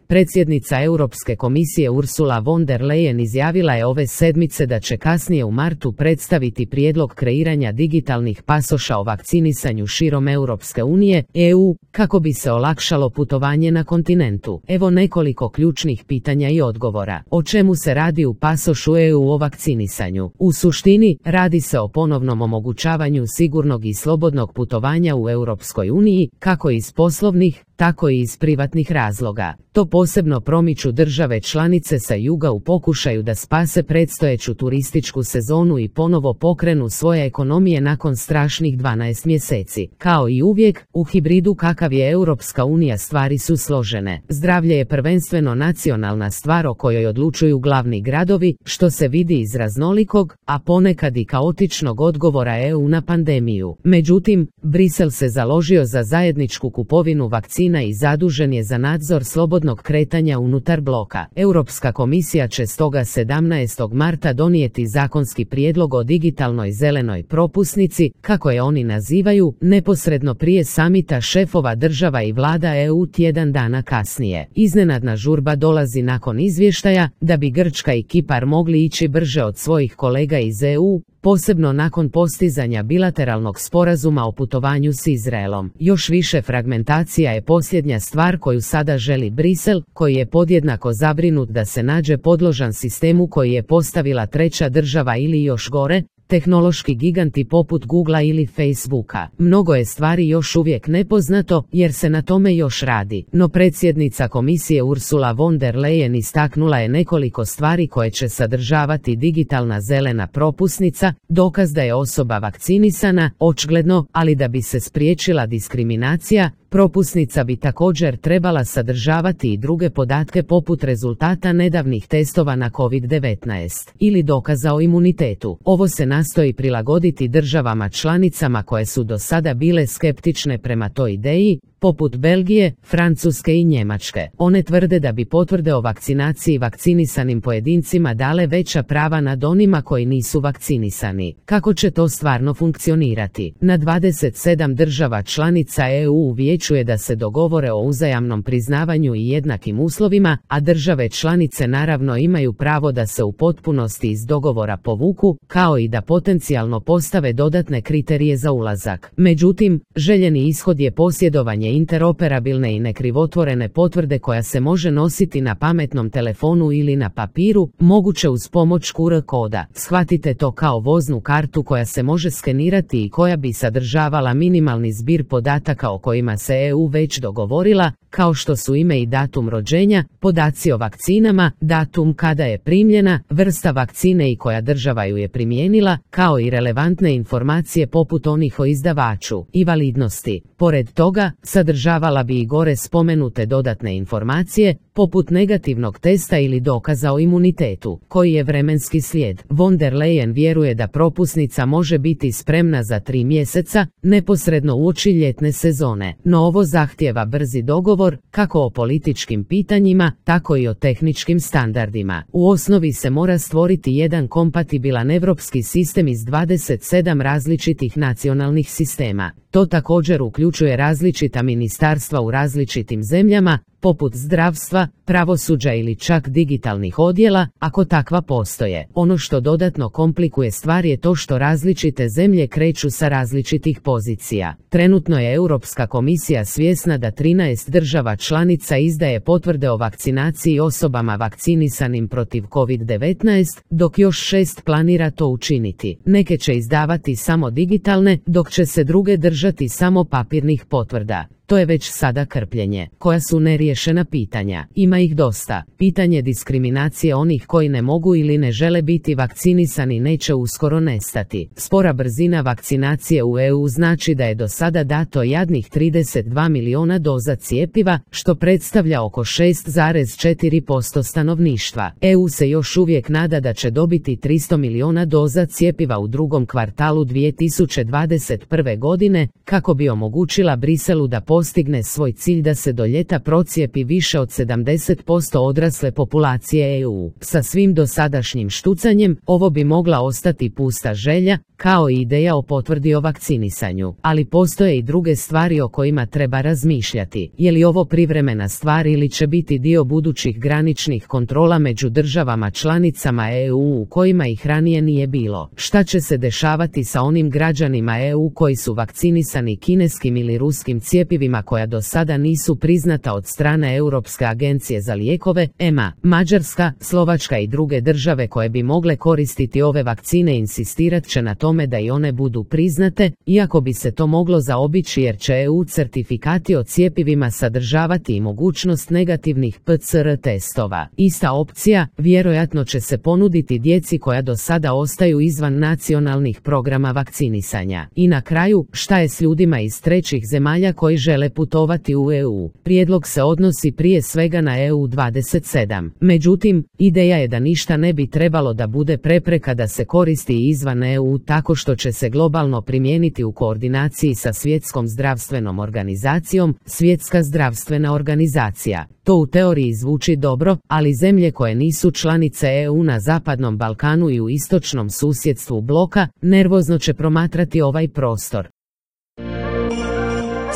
Predsjednica Europske komisije Ursula von der Leyen izjavila je ove sedmice da će kasnije u martu predstaviti prijedlog kreiranja digitalnih pasoša o vakcinisanju širom Europske unije, EU, kako bi se olakšalo putovanje na kontinentu. Evo nekoliko ključnih pitanja i odgovora. O čemu se radi u pasošu EU o vakcinisanju? U suštini, radi se o ponovnom omogućavanju sigurnog i slobodnog putovanja u Europskoj uniji, kako iz poslovnih, tako i iz privatnih razloga. To posebno promiču države članice sa juga u pokušaju da spase predstojeću turističku sezonu i ponovo pokrenu svoje ekonomije nakon strašnih 12 mjeseci. Kao i uvijek, u hibridu kakav je Europska unija stvari su složene. Zdravlje je prvenstveno nacionalna stvar o kojoj odlučuju glavni gradovi, što se vidi iz raznolikog, a ponekad i kaotičnog odgovora EU na pandemiju. Međutim, Brisel se založio za zajedničku kupovinu vakcina i zadužen je za nadzor slobodnog kretanja unutar bloka. Europska komisija će stoga 17. marta donijeti zakonski prijedlog o digitalnoj zelenoj propusnici, kako je oni nazivaju, neposredno prije samita šefova država i vlada EU tjedan dana kasnije. Iznenadna žurba dolazi nakon izvještaja da bi Grčka i Kipar mogli ići brže od svojih kolega iz EU, posebno nakon postizanja bilateralnog sporazuma o putovanju s Izraelom. Još više fragmentacija je posljednja stvar koju sada želi Brisel, koji je podjednako zabrinut da se nađe podložan sistemu koji je postavila treća država ili još gore, tehnološki giganti poput Googlea ili Facebooka. Mnogo je stvari još uvijek nepoznato, jer se na tome još radi. No predsjednica komisije Ursula von der Leyen istaknula je nekoliko stvari koje će sadržavati digitalna zelena propusnica, dokaz da je osoba vakcinisana, očigledno, ali da bi se spriječila diskriminacija, propusnica bi također trebala sadržavati i druge podatke poput rezultata nedavnih testova na COVID-19 ili dokaza o imunitetu. Ovo se nastoji prilagoditi državama članicama koje su do sada bile skeptične prema toj ideji, poput Belgije, Francuske i Njemačke. One tvrde da bi potvrde o vakcinaciji vakcinisanim pojedincima dale veća prava nad onima koji nisu vakcinisani. Kako će to stvarno funkcionirati? Na 27 država članica EU u vijeću je da se dogovore o uzajamnom priznavanju i jednakim uslovima, a države članice naravno imaju pravo da se u potpunosti iz dogovora povuku, kao i da potencijalno postave dodatne kriterije za ulazak. Međutim, željeni ishod je posjedovanje interoperabilne i nekrivotvorene potvrde koja se može nositi na pametnom telefonu ili na papiru, moguće uz pomoć QR koda. Shvatite to kao voznu kartu koja se može skenirati i koja bi sadržavala minimalni zbir podataka o kojima se EU već dogovorila, kao što su ime i datum rođenja, podaci o vakcinama, datum kada je primljena, vrsta vakcine i koja država ju je primijenila, kao i relevantne informacije poput onih o izdavaču i validnosti. Pored toga, sadržavala bi i gore spomenute dodatne informacije, poput negativnog testa ili dokaza o imunitetu, koji je vremenski slijed. Von der Leyen vjeruje da propusnica može biti spremna za 3 mjeseca, neposredno uoči ljetne sezone. No ovo zahtijeva brzi dogovor, kako o političkim pitanjima, tako i o tehničkim standardima. U osnovi se mora stvoriti jedan kompatibilan europski sistem iz 27 različitih nacionalnih sistema. To također uključuje različita ministarstva u različitim zemljama, poput zdravstva, pravosuđa ili čak digitalnih odjela, ako takva postoje. Ono što dodatno komplikuje stvar je to što različite zemlje kreću sa različitih pozicija. Trenutno je Europska komisija svjesna da 13 država članica izdaje potvrde o vakcinaciji osobama vakcinisanim protiv COVID-19, dok još 6 planira to učiniti. Neke će izdavati samo digitalne, dok će se druge držati samo papirnih potvrda. To je već sada krpljenje. Koja su neriješena pitanja? Ima ih dosta. Pitanje diskriminacije onih koji ne mogu ili ne žele biti vakcinisani neće uskoro nestati. Spora brzina vakcinacije u EU znači da je do sada dato jadnih 32 milijuna doza cjepiva, što predstavlja oko 6,4% stanovništva. EU se još uvijek nada da će dobiti 300 milijuna doza cjepiva u drugom kvartalu 2021. godine, kako bi omogućila Briselu da postigne svoj cilj da se do ljeta procijedi procijepi više od 70% odrasle populacije EU. Sa svim dosadašnjim štucanjem, ovo bi mogla ostati pusta želja, kao i ideja o potvrdi o vakcinisanju. Ali postoje i druge stvari o kojima treba razmišljati. Je li ovo privremena stvar ili će biti dio budućih graničnih kontrola među državama članicama EU u kojima ih ranije nije bilo? Šta će se dešavati sa onim građanima EU koji su vakcinisani kineskim ili ruskim cjepivima koja do sada nisu priznata od strane Europske agencije za lijekove, EMA? Mađarska, Slovačka i druge države koje bi mogle koristiti ove vakcine insistirat će na tome da i one budu priznate, iako bi se to moglo zaobići jer će EU certifikati o cjepivima sadržavati i mogućnost negativnih PCR testova. Ista opcija vjerojatno će se ponuditi djeci koja do sada ostaju izvan nacionalnih programa vakcinisanja. I na kraju, šta je s ljudima iz trećih zemalja koji žele putovati u EU? Prijedlog se odnosi prije svega na EU 27. Međutim, ideja je da ništa ne bi trebalo da bude prepreka da se koristi izvan EU tako što će se globalno primijeniti u koordinaciji sa Svjetskom zdravstvenom organizacijom, Svjetska zdravstvena organizacija. To u teoriji zvuči dobro, ali zemlje koje nisu članice EU na Zapadnom Balkanu i u istočnom susjedstvu bloka, nervozno će promatrati ovaj prostor.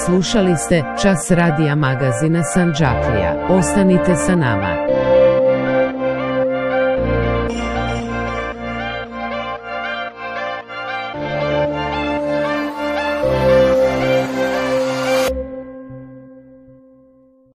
Slušali ste Čas radija magazina Sandžaklija. Ostanite sa nama.